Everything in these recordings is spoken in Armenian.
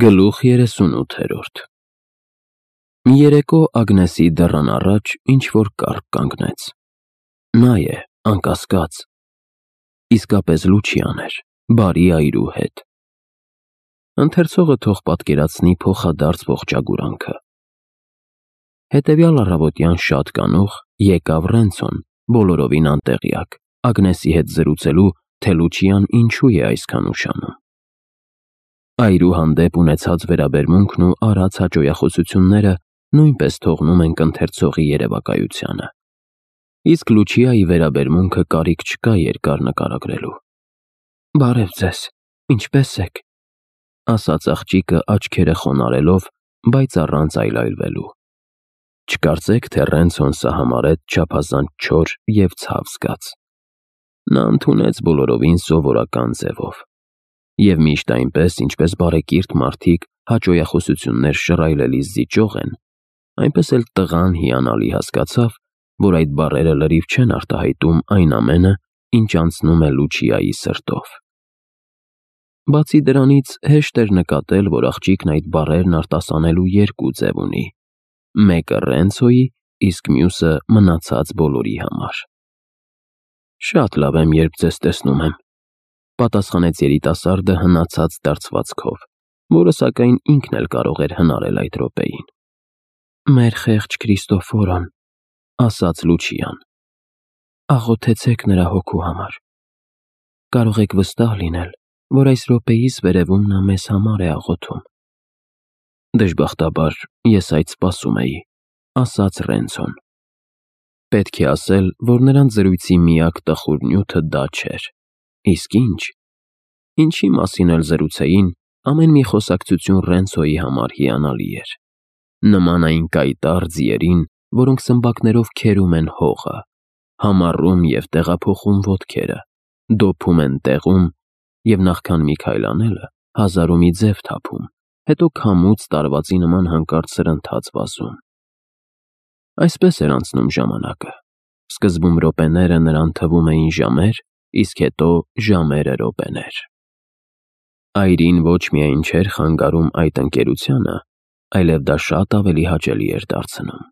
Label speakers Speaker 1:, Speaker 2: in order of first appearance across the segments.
Speaker 1: Գլուխ 38 Մի երեկո Ագնեսի դռան առաջ ինչ-որ կառք կանգնեց։ Նա է, անկասկած, իսկապես Լուչիան էր, բարի այրու հետ։ Ընթերցողը թող պատկերացնի փոխադարձ ողջագուրանքը։ Հետևյալ առավոտյան շատ կանուխ եկավ Ռենցոն, բոլորովին անտեղյակ, Ագնեսի հետ զրուցելու, թե Լուչիան ինչու է այսքան ուշանում։ Այրու հանդեպ ունեցած վերաբերմունքն ու արած հաճոյախոսությունները նույնպես թողնում ենք ընթերցողի երևակայությանը։ Իսկ Լուչիայի վերաբերմունքը կարիք չկա երկար նկարագրելու։ «Բարև ձեզ, ինչպե՞ս եք», ասաց աղջիկը աչքերը խոնարհելով, բայց առանց այլայլվելու։ Չկարծեք, թե Ռենցոն սա համարեց չափազանց չոր և ցավ զգաց։ Նա ընդունեց բոլորովին սովորական ձևով։ Եվ միշտ այնպես, ինչպես բարեկիրթ մարդիկ հաճոյախոսություններ շռայլելիս զիջող են, այնպես էլ տղան հիանալի հասկացավ, որ այդ բառերը լրիվ չեն արտահայտում այն ամենը, ինչ անցնում է Լուչիայի սրտով։ Բացի դրանից, հեշտ էր նկատել, որ աղջիկն այդ բառերն արտասանելու երկու ձև ունի, մեկը Ռենցոյի, իսկ մյուսը մնացած բոլորի համար։ «Շատ լավ եմ, երբ ձեզ տեսնում եմ», պատասխանեց երիտասարդը հնացած դարձվածքով, որը սակայն ինքն էլ կարող էր հնարել այդ րոպեին։ «Մեր խեղճ Քրիստոֆորոն», ասաց Լուչիան, «աղոթեցեք նրա հոգու համար։ Կարող եք վստահ լինել, որ այս րոպեիս վերևում նա մեզ համար է աղոթում»։ «Դժբախտաբար, ես այդ սպասում էի», ասաց Ռենցոն։ Պետք է ասել, որ նրանց զրույցի միակ տխուր նյութը դա չէր։ Իսկ ինչի մասին էլ զրուցեին, ամեն մի խոսակցություն Ռենցոյի համար հիանալի էր։ Նման այն կայտառ ձիերին, որոնք սմբակներով քերում են հողը, համառում և տեղափոխում ոտքերը, դոփում են տեղում և նախքան մի քայլ անելը, հազարու մի ձև թափում, հետո քամուց տարվածի նման հանկարծ սրընթաց վազում։ Այսպես էր անցնում ժամանակը։ Սկզբում րոպեները նրան թվում էին ժամեր, իսկ հետո ժամերը րոպեներ։ Այրին ոչ միայն չէր խանգարում այդ ընկերությանը, այլև դա շատ ավելի հաճելի էր դարձնում։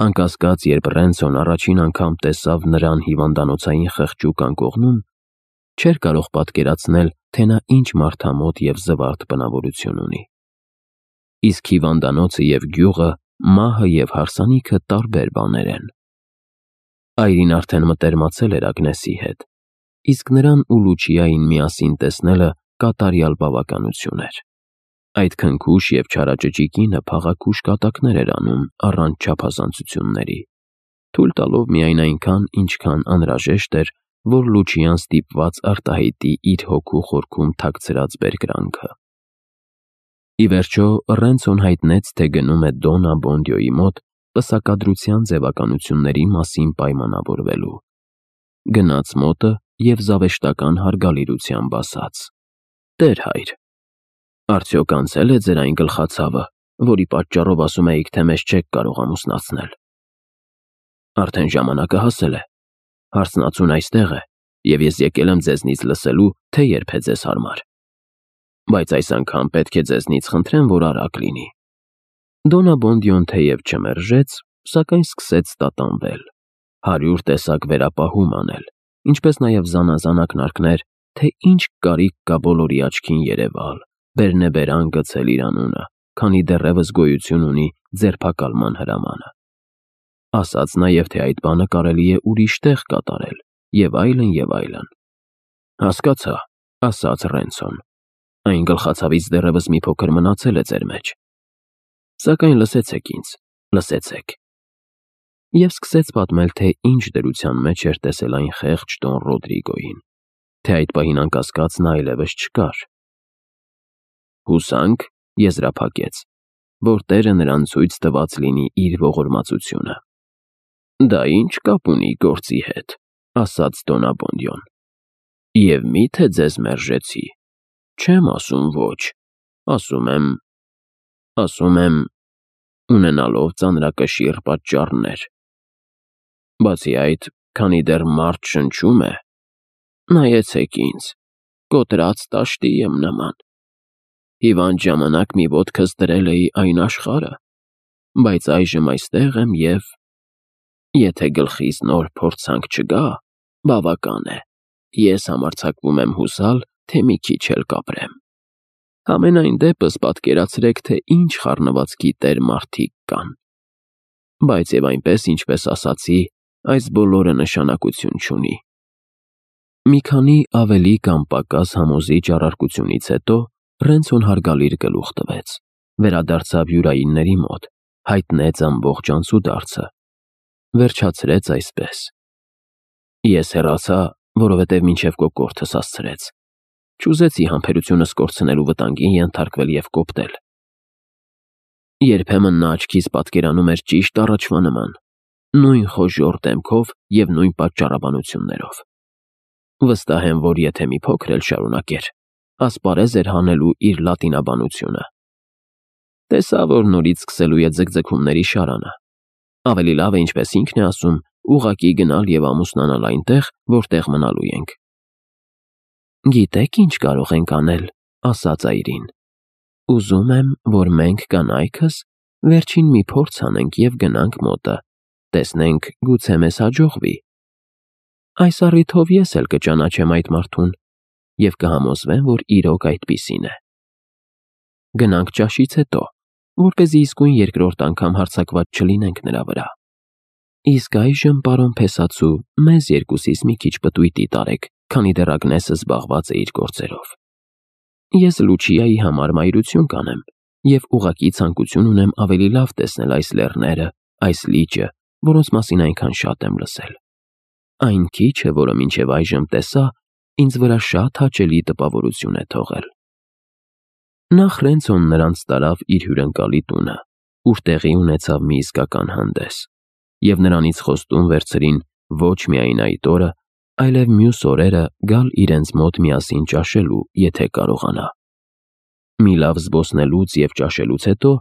Speaker 1: Անկասկած, երբ Ռենցոն առաջին անգամ տեսավ նրան հիվանդանոցային խղճուկ անկողնում, չէր կարող պատկերացնել, թե նա ինչ մարդամոտ և զվարթ բնավորություն ունի։ Իսկ հիվանդանոցը և գյուղը, մահը և հարսանիքը տարբեր բաներ են։ Այրին արդեն մտերմացել էր Ագնեսի հետ, իսկ նրան ու Լուչիային միասին տեսնելը կատարյալ բավականություն էր։ Այդ քնքուշ և չարաճճի կինը փաղաքուշ կատակներ էր անում առանց չափազանցությունների, թույլ տալով միայն այնքան, ինչքան անհրաժեշտ էր, որ Լուչիան ստիպված արտահայտի իր հոգու խորքում թաքցրած բերկրանքը։ Ի վերջո, Ռենցոն հայտնեց, թե գնում է Դոննա Բոնդիոյի մոտ պսակադրության ձևականությունների մասին պայմանավորվելու։ Գնաց մոտը և զավեշտական հարգալիրությամբ ասաց. «Տեր հայր, արդյոք անցե՞լ է ձեր այն գլխացավը, որի պատճառով ասում էիք, թե մեզ չեք կարող ամուսնացնել»։ «Արդեն ժամանակը հասել է, հարսնացուն այստեղ է, և ես եկել եմ ձեզնից լսելու, թե երբ է ձեզ հարմար։ Բայց այս անգամ պետք է ձեզնից խնդրեմ, որ արագ լինի»։ Դոննա Բոնդիոն թեև չմերժեց, սակայն սկսեց տատանվել, 100 տեսակ վերապահում անել, ինչպես նաև զանազան ակնարկներ, թե ինչ կարիք կա բոլորի աչքին երևալ, բերնեբերան գցել իր անունը, քանի դեռևս գոյություն ունի ձերբակալման հրամանը։ Ասաց նաև, թե այդ բանը կարելի է ուրիշ տեղ կատարել, և այլն, և այլն։ «Հասկացա», ասաց Ռենցոն, «այն գլխացավից դեռևս մի փոքր մնացել է ձեր մեջ։ Սակայն լսեցեք ինձ, լսեցեք»։ Եվ սկսեց պատմել, թե ինչ դրության մեջ էր տեսել այն խեղճ Դոն Ռոդրիգոյին, թե այդ պահին անկասկած նա այլևս չկար։ Հուսանք, եզրափակեց, որ Տերը նրան ցույց տված լինի իր ողորմածությունը։ «Դա ինչ կապ ունի գործի հետ», ասաց Դոննա Բոնդիոն։ «Եվ մի՞թե ձեզ մերժեցի։ Չեմ ասում ոչ, ասում եմ, ունենալով ծանրակշիռ պատճառներ։ Բացի այդ, քանի դեռ մարդ շնչում է, նայեցեք ինձ, կոտրած տաշտի եմ նման։ հիվանդ ժամանակ մի ոտքս դրել էի այն աշխարհը, բայց այժմ այստեղ եմ և եթե գլխիս նոր փորձանք չգա, բավական է, ես համարձակվում եմ հուսալ, թե մի քիչ էլ կապրեմ։ Համենայն դեպս պատկերացրեք, թե ինչ խառնվածքի տեր մարդիկ կան։ Բայց և այնպես, ինչպես ասացի, այս բոլորը նշանակություն չունի։ Մի քանի ավելի կամ պակաս համոզիչ առարկությունից հետո Ռենցոն հարգալից գլուխ տվեց, վերադարձավ յուրայինների մոտ, հայտնեց ամբողջ անցուդարձը, վերջացրեց այսպես. Ես հեռացա, որովհետև մինչև կոկորդս հասցրեց, չուզեցի համբերությունս կորցնելու վտանգին ենթարկվել և կոպտել։ Երբեմն նա աչքիս պատկերանում էր ճիշտ առաջվա նման, նույն խոժոռ դեմքով և նույն պատճառաբանություններով։ Վստահ եմ, որ եթե մի փոքր էլ շարունակեր, ասպարեզ էր հանելու իր լատինաբանությունը։ Տեսա, որ նորից սկսելու է ձգձգումների շարանը։ Ավելի լավ է, ինչպես ինքն է ասում, ուղղակի գնալ և ամուսնանալ այնտեղ, որտեղ մնալու ենք։ Գիտեք ինչ կարող ենք անել, ասաց այրին։ Ուզում եմ, որ մենք կանայքս վերջին մի փորձ անենք և գնանք մոտը, տեսնենք, գուցե մեզ հաջողվի։ Այս առիթով ես էլ կճանաչեմ այդ մարդուն և կհամոզվեմ, որ իրոք այդպիսին է։ Գնանք ճաշից հետո, որպեսզի իսկույն երկրորդ անգամ հարձակված չլինենք նրա վրա։ Իսկ այժմ, պարոն փեսացու, մեզ երկուսիս մի քիչ պտույտի տարեք, քանի դեռ Ագնեսը զբաղված է իր գործերով։ Ես Լուչիայի համար մայրություն կանեմ և ուղղակի ցանկություն ունեմ ավելի լավ տեսնել այս լեռները, այս լիճը, որոնց մասին այնքան շատ եմ լսել։ Այն քիչը, որը մինչև այժմ տեսա, ինձ վրա շատ հաճելի տպավորություն է թողել։ Նախ Ռենցոն նրանց տարավ իր հյուրընկալի տունը, ուր տեղի ունեցավ մի իսկական հանդես, և նրանից խոստում վերցրին ոչ միայն այդ օրը, այլև մյուս օրերը գալ իրենց մոտ միասին ճաշելու, եթե կարողանա։ Մի լավ զբոսնելուց և ճաշելուց հետո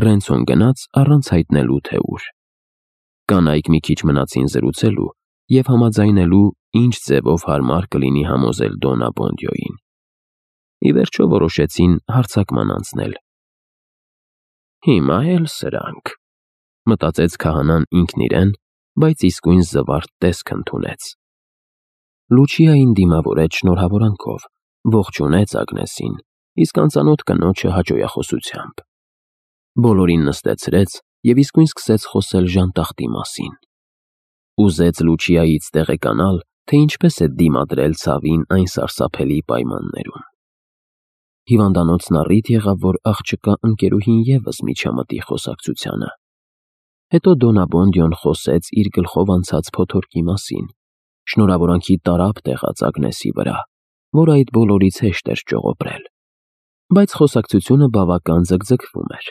Speaker 1: Ռենցոն գնաց առանց հայտնելու, թե ուր։ Կանայք մի քիչ մնացին զրուցելու և համաձայնելու, ինչ ձևով հարմար կլինի համոզել Դոննա Բոնդիոյին։ Ի վերջո որոշեցին հարձակման անցնել։ Հիմա էլ սրանք, մտածեց քահանան ինքն իրեն, բայց իսկույն զվարթ տեսք ընդունեց։ Լուչիային դիմավորեց շնորհավորանքով, ողջունեց Ագնեսին, իսկ անծանոթ կնոջը հաճոյախոսությամբ։ Բոլորին նստեցրեց և իսկույն սկսեց խոսել ժանտախտի մասին։ Ուզեց Լուչիայից տեղեկանալ, թե ինչպես է դիմադրել ցավին այն սարսափելի պայմաններում։ Հիվանդանոցն առիթ եղավ, որ աղջկա ընկերուհին ևս միջամտի խոսակցությանը։ Հետո Դոննա Բոնդիոն խոսեց իր գլխով անցած փոթորկի մասին, շնորհավորանքի տարափ տեղաց Ագնեսի վրա, որ այդ բոլորից հեշտ էր ճողոպրել։ Բայց խոսակցությունը բավական ձգձգվում էր։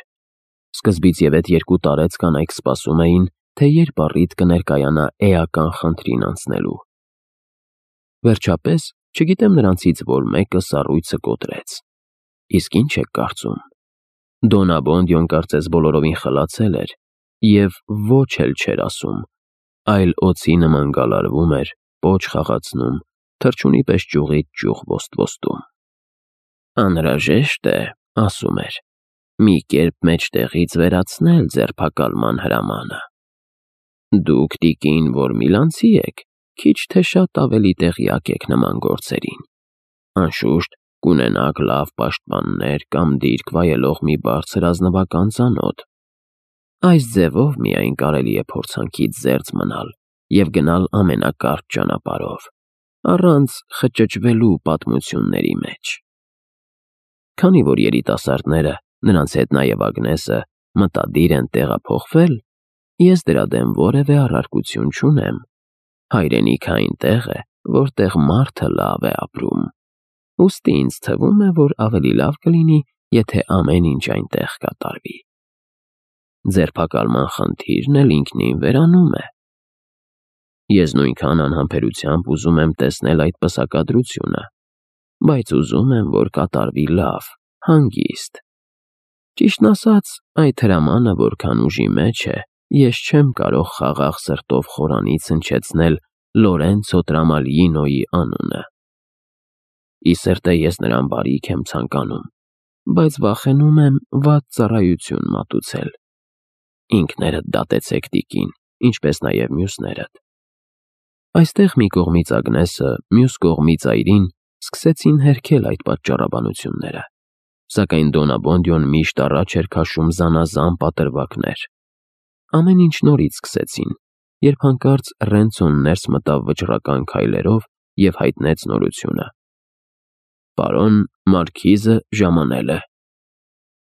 Speaker 1: Սկզբից և այդ երկու տարեց կանայք սպասում էին, թե երբ առիթ կներկայանա էական խնդրին անցնելու։ Վերջապես, չգիտեմ նրանցից որ մեկը սառույցը կոտրեց։ Իսկ ինչ եք կարծում։ Դոննա Բոնդիոն կարծես բոլորովին խլացել էր և ոչ էլ չէր ասում, այլ օձի նման գալարվում էր, պոչ խաղացնում, թռչունի պես ճյուղից ճյուղ ոստվոստում։ Անհրաժեշտ է, ասում էր, մի կերպ մեջտեղից վերացնել ձերբակալման հրամանը։ Դուք, տիկին, որ միլանցի եք, քիչ թե շատ ավելի տեղյակ եք նման գործերին։ Անշուշտ, կունենաք լավ պաշտպաններ կամ դիրք վայելող մի բարձր ազնվական ծանոթ։ Այս ձևով միայն կարելի է փորձանքից զերծ մնալ և գնալ ամենակարճ ճանապարհով, առանց խճճվելու պատմությունների մեջ։ Քանի որ երիտասարդները, նրանց հետ նաև Ագնեսը, մտադիր են տեղափոխվել, ես դրա դեմ որևէ առարկություն չունեմ։ Հայրենիքը այնտեղ է, որտեղ մարդը լավ է ապրում։ Ուստի ինձ թվում է, որ ավելի լավ կլինի, եթե ամեն ինչ այնտեղ կատարվի։ Ձերբակալման խնդիրն էլ ինքնին վերանում է։ Ես նույնքան անհամբերությամբ ուզում եմ տեսնել այդ պսակադրությունը, բայց ուզում եմ, որ կատարվի լավ, հանգիստ։ Ճիշտն ասած, այդ հրամանը որքան ուժի մեջ է, ես չեմ կարող խաղաղ սրտով խորանից հնչեցնել Լորենցո Տրամալյինոյի անունը։ Ի սերտե ես նրան բարիք եմ ցանկանում, բայց վախենում եմ վատ ծառայություն մատուցել։ Ինքներդ դատեցեք տիկին, ինչպես նաև մյուսներդ։ Այստեղ մի կողմից Ագնեսը, մյուս կողմից Այրին սկսեցին հերքել այդ պատճառաբանությունները, սակայն Դոնաբոնդյոն միշտ առաջ էր քաշում զանազան պատրվակներ։ Ամեն ինչ նորից սկսեցին, երբ հանկարծ Ռենցոն ներս մտավ վճռական քայլերով և հայտնեց նորությունը։ Պարոն Մարքիզը ժամանել է։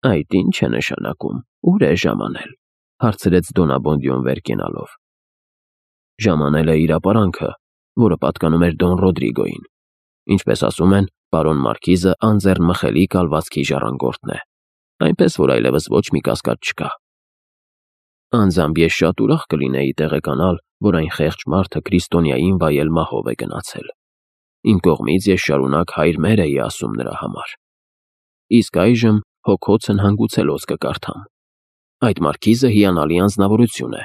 Speaker 1: Այդ ինչ է նշանակում, ուր է ժամանել, հարցրեց Դոնաբոնդյոն վեր կենալով։ Ժամանել է իրապարանքը, որը պատկանում էր Դոն Ռոդրիգոյին։ Ինչպես ասում են, պարոն Մարքիզը անձեռնմխելի կալվածքի ժառանգորդն է, այնպես որ այլևս ոչ մի կասկած չկա։ Անձամբ ես շատ ուրախ կլինեի տեղեկանալ, որ այն խեղճ մարդը Քրիստոնյային վայել մահով է գնացել։ Իմ կողմից ես շարունակ հայր մեր էի ասում նրա համար։ Իսկ այժմ հոգոցն հանգուցելոց կկարդամ։ Այդ Մարքիզը հիանալի անձնավորություն է։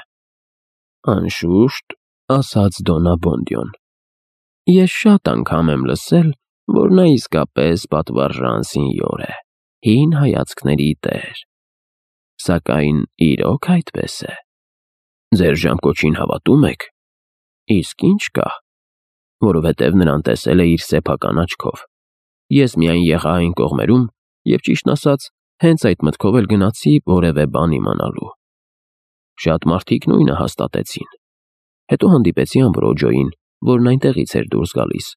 Speaker 1: Անշուշտ, ասաց Դոնաբոնդյոն։ Ես շատ անգամ եմ լսել, որ նա իսկապես պատվարժան սինյոր է, հին հայացքների տեր։ Սակայն իրոք այդպես է։ Ձեր ժամկոչին հավատում եք։ Իսկ ինչ կա, որովհետև նրան տեսել է իր սեփական աչքով։ Ես միայն եղա այն կողմերում և ճիշտն ասած, հենց այդ մտքով էլ գնացի որևէ բան իմանալու։ Շատ մարդիկ նույնը հաստատեցին։ Հետո հանդիպեցի Ամբրոջոյին, որն այնտեղից էր դուրս գալիս,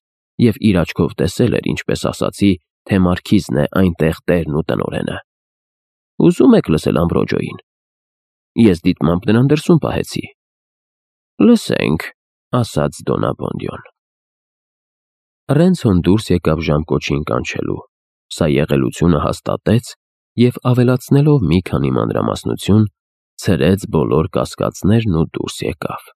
Speaker 1: և իր աչքով տեսել էր, ինչպես ասացի, թե Մարքիզն է այնտեղ տերն ու տնօրենը։ Ուզում եք լսել Ամբրոջոյին։ Ես դիտմամբ նրան դրսում պահեցի։ Լսենք, ասաց Դոնաբոնդյոն։ Ռենցոն դուրս եկավ ժամկոչին կանչելու։ Սա եղելությունը հաստատեց և ավելացնելով մի քանի մանրամասնություն, ցրեց բոլոր կասկածներն ու դուրս եկավ։